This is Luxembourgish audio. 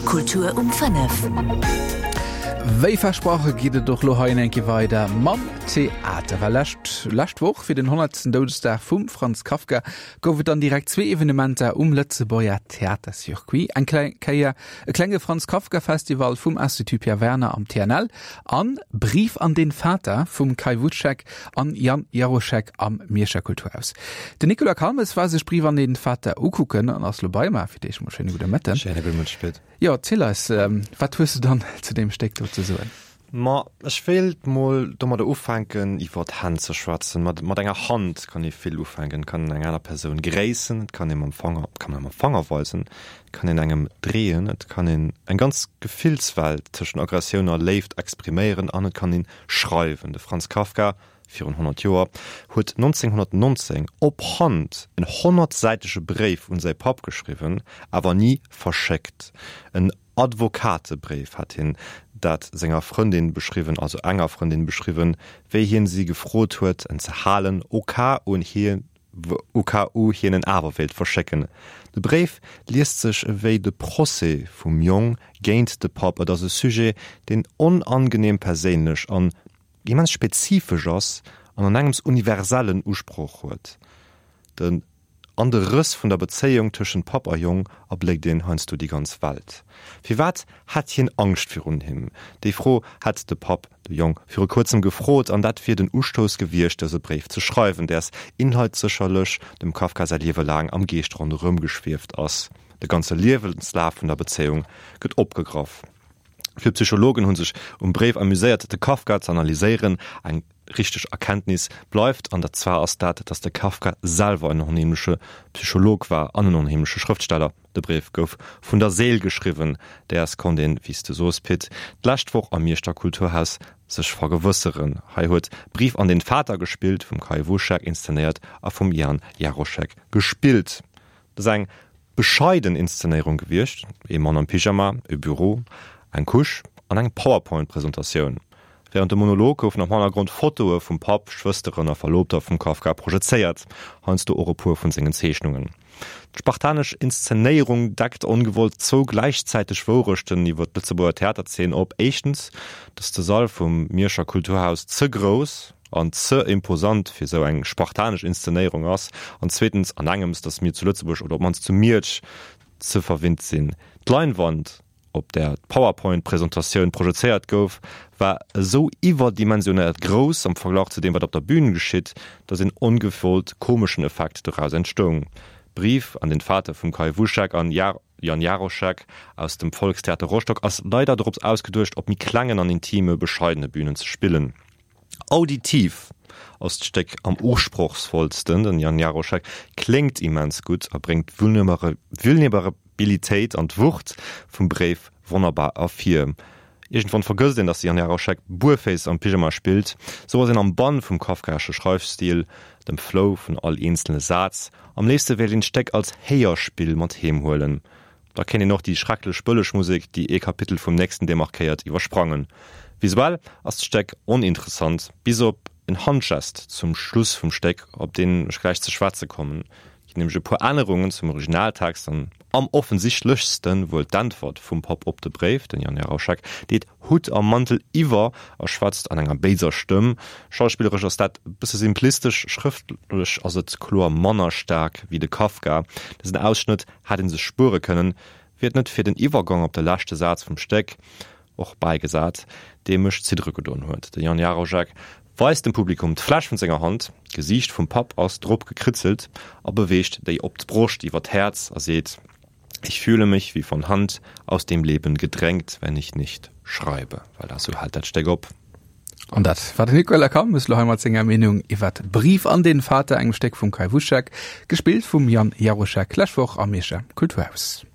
Kultur um 5. Wéi versproche geet et och lo hei eng Kéier weider mam Theater. Well lescht, lescht Woch fir den 100. Doudesdag vum Franz Kafka gouf et dann direkt zwee Evenementer um Lëtzebuerger Theatercircuit. Eng kleng Kéier e klenge Franz Kafka Festival vum Institut Pierre Werner am TNL an Brief an den Vater vum Kai Wuschek an Jan Jaroschek am Mierscher Kulturhaus. Den Nicolas Calmes war sech Brief an den Vater ukucken an ass lo bei mer. Fir d'éischt mol schéine gudde Mëtten. Schéine gudde Mëtteg, Pit. Jo, erziel eis, wat hues du dann zu deem Stéck do ze soen? Ma ech wéilt mol domadder ufänken, iwwer d'Hänn ze schwätzen. Mat, mat enger Hand kann ee vill ufänken. Et kann een eng aner Persoun gréissen, et kann ee mam Fanger, et kann ee mam Fanger weisen, et kann een engem dreeën, et kann een eng ganz Gefillswelt tëschent Aggressioun a Léift expriméieren an et kann een schreiwen. De Franz Kafka, virun 100 Joer, huet 1919 op Hand en honnertsäitege Bréif un säi Papp geschriwwen, awer ni verschéckt. En Advokatebréif hat hien dat senger Frëndin beschriwwen, also enger Frëndin beschriwwen, wéi hien si gefrot huet, en ze halen, au cas où hien au cas où hien en awer wéilt verschécken. De Bréif liest sech ewéi de Procès vum Jong géint de Papp. Et ass e Sujet, deen onangenehm perséinlech an immens spezifesch ass an an engems universellen Usproch huet. De An de Rëss vun der Bezéiung tëschent Papp a Jong erbléckt een heiansdo déi ganz Welt. Firwat hätt hien Angscht virun him? Déi Fro hätt de Papp de Jong viru kuerzem gefrot an dat wier den Ustouss gewiescht, dëse Bréif ze schreiwen, däers Inhalt sécherlech dem Kafka säi Liewe laang am Geescht ronderëm geschwieft ass. De ganze Liewenslaf vun der Bezéiung gëtt opgegraff. Vill Psychologen hu sech um Bréif amuséiert, de Kafka ze analyséieren. Eng richteg Erkenntnis bleift, an dat zwar ass dat, datt de Kafka selwer en onheemleche Psycholog war an en onheemleche Schrëftsteller. De Bréif gouf vun der Séil geschriwwen, däers konnt een, wéi s de soos, Pit, d'lescht Woch am Mierschter Kulturhaus sech vergewësseren. Hei huet Brief an den Vater gespillt, vum Kai Wuschek inszenéiert a vum Jan Jaroschek gespillt. Dat ass eng bescheiden Inszenéierung gewiescht, ee Mann am Pyjama, e Büro, eng Couche an eng Powerpoint-Presentatioun. Wärend dem Monolog goufen am Hannergrond Fotoe vum Papp, Schwësteren a Verloobter vum Kafka projezéiert, heiansdo och e puer vun sengen Zeechnungen. D'spartanesch Inszenéierung deckt ongewollt zwou gläichzäiteg Wourechten iwwer d'Lëtzebuerger Theaterzeen op, éischtens, datt de Sall vum Mierscher Kulturhaus ze grouss an ze imposant fir esou eng spartanesch Inszenéierung ass, an zweetens, an engems, datt mir zu Lëtzebuerg oder op d'mannst zu Miersch ze verwinnt sinn. D'Leinwand, op där d'Powerpoint-Presentatioun projezéiert gouf, war esou iwwerdimensionéiert grouss am Verglach zu deem, wat op der Bühn geschitt, datt een ongewollt komeschen Effekt doraus entstoung. Brief an den Vater vum Kai Wuschek an Jan Jaroschek aus dem Volkstheater Rostock ass leider dorops ausgeduecht, op méi klengen an intime, bescheidene Bühnen ze spillen. Auditiv ass d'Stéck am usprochsvollsten, den Jan Jaroschek kléngt immens gutt a bréngt d'Vulnerabilitéit an d'Wucht vum Bréif wonnerbar ervir. Iergendwann vergësst een, datt de Jan Jaroschek buerféiss am Pyjama spillt, sou ass een am Bann vum kafkaesche Schreifstil, dem Flow vun all eenzele Saz. Am léifste wéilt een d'Stéck als Héierspill mat heem huelen. Da kéint een och déi schrecklech bëlleg Musek, déi ee Kapitel vum nächsten demarkéiert, iwwersprangen. Visuell ass d'Stéck oninteressant, bis op en Handgest zum Schluss vum Stéck, op deen ech gläich ze schwätze kommen. Et ginn nämlech e puer Ännerungen zum Originaltext an am offensichtlechste wuel d'Äntwert vum Papp op de Bréif. Den Jan Jarauschek deet Hutt a Mantel iwwer a schwätzt an enger béiser Stëmm. Schauspilleresch ass dat e bësse simplistesch, schrëftlech ass et kloer manner staark wéi de Kafka. Dësen Ausschnëtt hätt een sech spuere kënnen, wier et net fir den Iwwergang op de leschte Saz vum Stéck, och bäigesat, dee mech ziddere gedoen huet. De Jan Jarojek weist dem Publikum d'Fläsch vun senger Hand, d'Gesiicht vum Papp ass drop gekritzelt, a beweegt déi op d'Broscht iwwer d'Häerz a seet, Ich fühle mich wie von Hand aus dem Leben gedrängt, wenn ich nicht schreibe. Voilà, sou hält dat Stéck op. An dat war den Nicolas Calmes lo hei mat senger Meenung iwwert Brief an den Vater, engem Stéck vum Kai Wuschek, gespillt vum Jan Jaroschek, lescht Woch am Mierscher Kulturhaus.